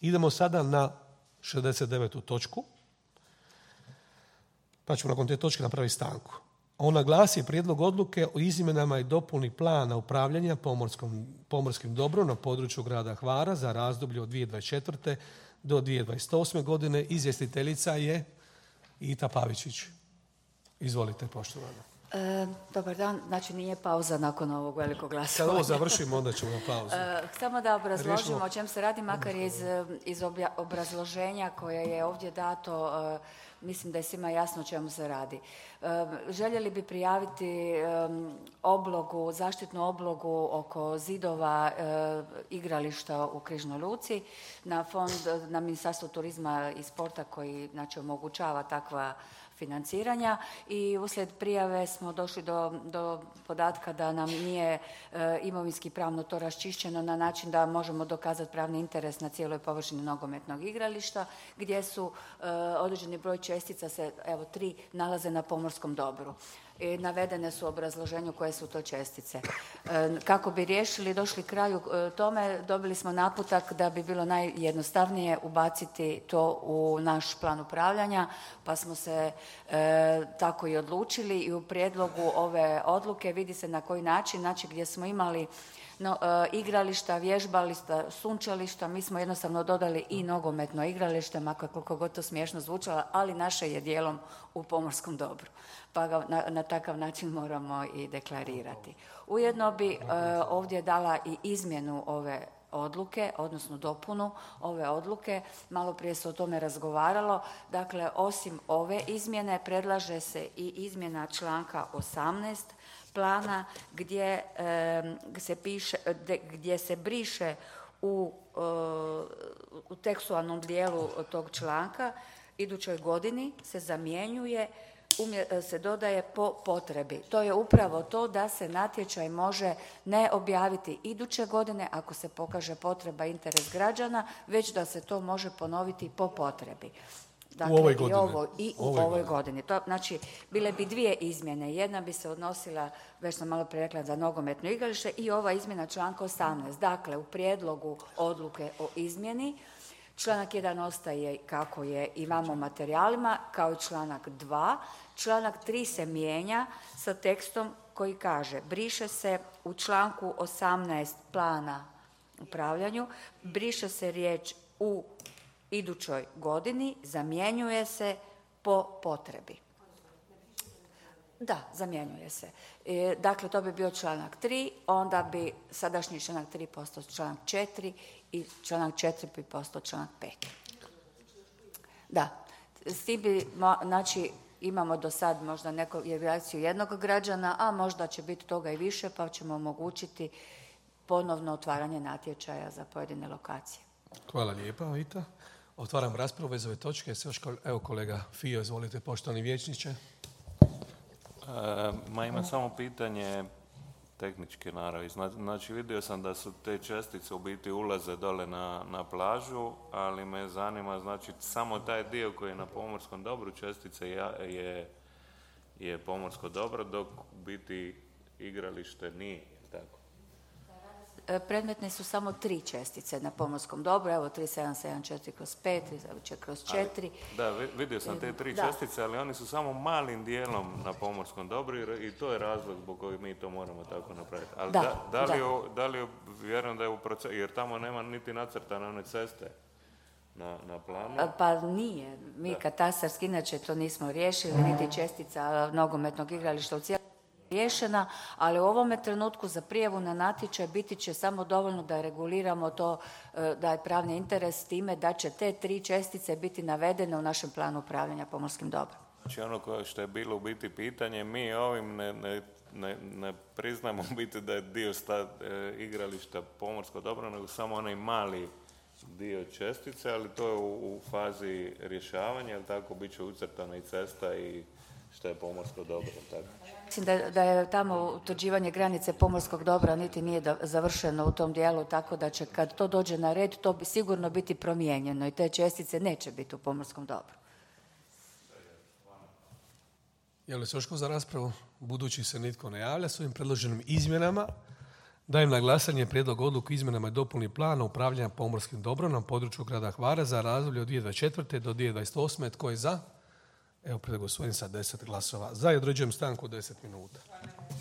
Idemo sada na 69. točku, pa ćemo nakon te točke napraviti stanku. Ona glasi prijedlog odluke o izmjenama i dopuni plana upravljanja pomorskim dobrom na području grada Hvara za razdoblje od 2024. do 2028. godine. Izvjestiteljica je Ita Pavičić. Izvolite, poštovana. Dobar dan, znači nije pauza nakon ovog velikog glasovanja. Kad ovo završimo, onda ćemo na pauzu. Samo da obrazložimo o čem se radi, makar iz obrazloženja koje je ovdje dato, mislim da je svima jasno o čemu se radi. Željeli bi prijaviti oblogu, zaštitnu oblogu oko zidova igrališta u Križnoj Luci na fond, na Ministarstvo turizma i sporta koji znači omogućava takva financiranja i uslijed prijave smo došli do podatka da nam nije imovinski pravno to raščišćeno na način da možemo dokazati pravni interes na cijeloj površini nogometnog igrališta gdje su određeni broj čestica se, 3, nalaze na pomorskom dobru. I navedene su u obrazloženju koje su to čestice. Kako bi riješili, došli kraju tome, dobili smo naputak da bi bilo najjednostavnije ubaciti to u naš plan upravljanja, pa smo se tako i odlučili i u prijedlogu ove odluke vidi se na koji način, znači gdje smo imali igrališta, vježbališta, sunčališta, mi smo jednostavno dodali i nogometno igralište, makar koliko god to smiješno zvučalo, ali naše je dijelom u pomorskom dobru, pa ga na takav način moramo i deklarirati. Ujedno bi ovdje dala i izmjenu ove odluke, odnosno dopunu ove odluke. Malo prije se o tome razgovaralo. Dakle, osim ove izmjene predlaže se i izmjena članka 18 plana gdje se briše u tekstualnom dijelu tog članka idućoj godini se zamjenjuje, se dodaje po potrebi. To je upravo to da se natječaj može ne objaviti iduće godine ako se pokaže potreba i interes građana, već da se to može ponoviti po potrebi. Dakle, u ovoj godini. To, znači, bile bi dvije izmjene. Jedna bi se odnosila, već sam malo prije rekla, za nogometno igralište i ova izmjena članka 18. Dakle, u prijedlogu odluke o izmjeni članak 1 ostaje kako je i vamo u materijalima, kao i članak 2. Članak 3 se mijenja sa tekstom koji kaže: briše se u članku 18 plana upravljanju, briše se riječ u idućoj godini, zamjenjuje se po potrebi. Da, zamjenjuje se. Dakle, to bi bio članak 3, onda bi sadašnji članak 3 postao članak 4 i članak 4 bi postao članak 5. Da, s tim bi, znači, imamo do sad možda neku reakciju jednog građana, a možda će biti toga i više, pa ćemo omogućiti ponovno otvaranje natječaja za pojedine lokacije. Hvala lijepa, Vita. Otvaram raspravu bez ove točke. Evo kolega Fio, izvolite, poštovani vijećniče. Imam samo pitanje tehničke naravi. Znači, vidio sam da su te čestice u biti ulaze dole na plažu, ali me zanima, znači, samo taj dio koji je na pomorskom dobru čestice je pomorsko dobro, dok u biti igralište nije, tako? Predmetne su samo 3 čestice na pomorskom dobru, evo 3774/5, kroz 4. Da, vidio sam te 3 čestice, ali oni su samo malim dijelom na pomorskom dobru i to je razlog zbog kojeg mi to moramo tako napraviti. Ali da li vjerujem da je u procesu, jer tamo nema niti nacrtane one ceste na planu? Pa nije. Mi katastarski inače to nismo riješili, niti čestica nogometnog igrališta u cijelom riješena, ali u ovome trenutku za prijavu na natječaj biti će samo dovoljno da reguliramo to, da je pravni interes time da će te 3 čestice biti navedene u našem planu upravljanja pomorskim dobrom. Znači ono što je bilo u biti pitanje, mi ovim ne priznamo u biti da je dio igrališta pomorsko dobro, nego samo onaj mali dio čestice, ali to je u fazi rješavanja, jel tako, bit će ucrtana i cesta i što je pomorsko dobro, tako? Mislim da je tamo utvrđivanje granice pomorskog dobra niti nije završeno u tom dijelu, tako da će kad to dođe na red, to bi sigurno biti promijenjeno i te čestice neće biti u pomorskom dobru. Je li se još za raspravu? Budući se nitko ne javlja, s ovim predloženim izmjenama Dajem na glasanje prijedlog odluke o izmjenama i dopuni plana upravljanja pomorskim dobrom na području grada Hvara za razdoblje od 2024. do 2028. Tko je za? Evo, prijedlog usvojen sa 10 glasova. Za i određujem stanku 10 minuta.